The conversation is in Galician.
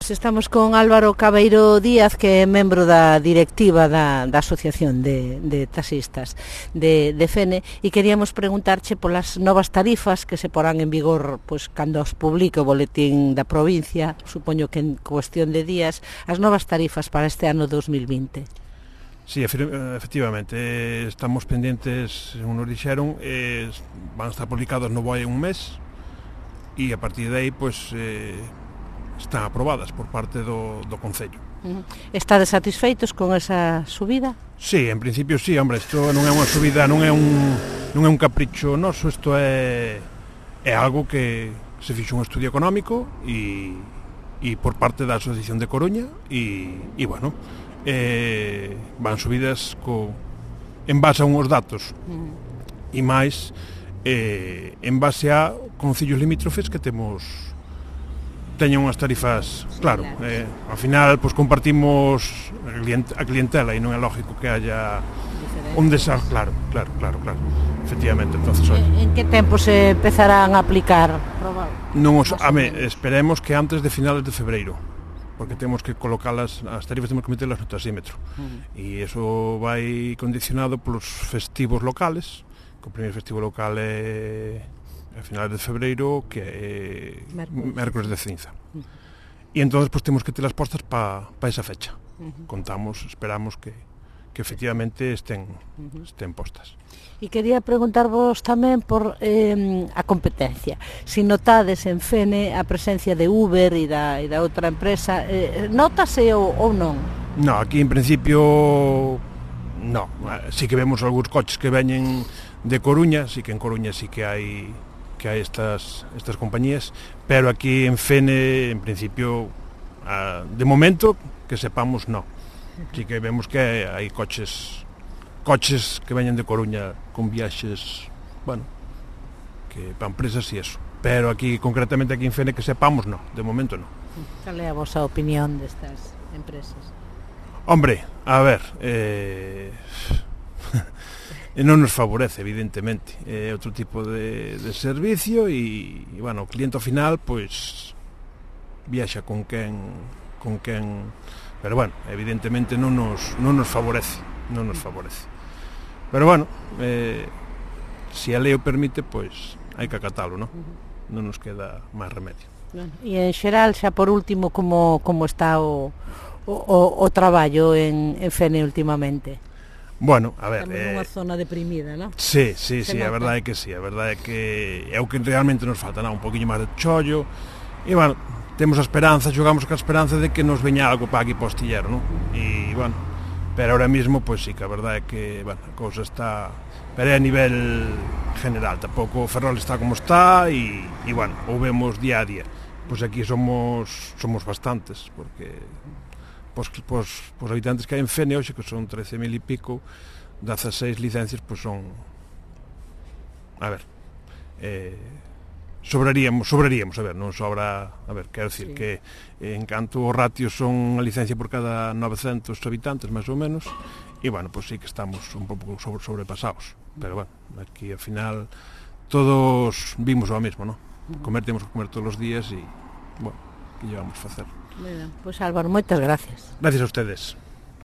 Pois estamos con Álvaro Cabeiro Díaz, que é membro da directiva da Asociación de Taxistas de Fene, e queríamos preguntarche polas novas tarifas que se porán en vigor pois cando os publique o boletín da provincia, supoño que en cuestión de días, as novas tarifas para este ano 2020. Sí, efectivamente, estamos pendientes, según nos dixeron, van a estar publicados no BOE un mes, e a partir de aí, pois, están aprobadas por parte do Concello. Estades satisfeitos con esa subida? Sí, en principio sí, hombre, isto non é unha subida, non é un capricho noso, isto é algo que se fixo un estudio económico e por parte da Asociación de Coruña e bueno, van subidas en base a unhos datos e máis en base a concellos limítrofes que teñen unhas tarifas, claro, ao final pois compartimos a clientela e non é lógico que haya un desastre, claro, efectivamente. Entonces, en que tempo se empezarán a aplicar? Esperemos que antes de finales de febreiro, porque temos que colocalas, as tarifas temos que meterlas no taxímetro, e iso vai condicionado polos festivos locales, que o primeiro festivo local é a finales de febreiro, que é mércores de cinza. E entón, pues, temos que telas postas para esa fecha. Esperamos que efectivamente estén postas. E quería preguntarvos tamén por a competencia. Si notades en Fene a presencia de Uber e da outra empresa, notase ou non? No, aquí en principio no. Sí que vemos algúns coches que veñen de Coruña, sí que en Coruña sí que hai estas compañías, pero aquí en Fene, en principio, de momento, que sepamos, no. Sí que vemos que hai coches que veñen de Coruña con viaxes, bueno, que para empresas e eso. Pero aquí, concretamente aquí en Fene, que sepamos, no. De momento, no. Cal é a vosa opinión destas empresas? Hombre, a ver, non nos favorece, evidentemente, outro tipo de servicio e, bueno, o cliente ao final, pois, viaxa con quen, pero, bueno, evidentemente non nos favorece, pero, bueno, se a lei o permite, pois, hai que acatalo, non nos queda máis remedio. E, en xeral, xa por último, como está o traballo en Fene últimamente? Bueno, a ver... Estamos nunha zona deprimida, non? Sí, a verdade é que sí, a verdade é que é o que realmente nos falta, un poquinho máis de chollo, e, bueno, temos a esperanza, xogamos ca esperanza de que nos veña algo para aquí para o astillero, non? E, bueno, pero ahora mismo, pois sí, que a verdade é que, bueno, a cousa está... Pero é a nivel general, tampouco o Ferrol está como está, e, bueno, o vemos día a día. Pois aquí somos bastantes, porque... Os habitantes que hai en Fene hoxe, que son 13.000 e pico, 16 licencias, pois son... A ver... Sobraríamos, a ver, non sobra... A ver, quero dicir que en canto o ratio son a licencia por cada 900 habitantes, máis ou menos, e, bueno, pois sí que estamos un pouco sobrepasados. Pero, bueno, aquí, ao final, todos vimos o mesmo, non? Temos que comer todos os días e, bueno, que llevamos a facer? Pois Álvaro, moitas gracias. Gracias a ustedes.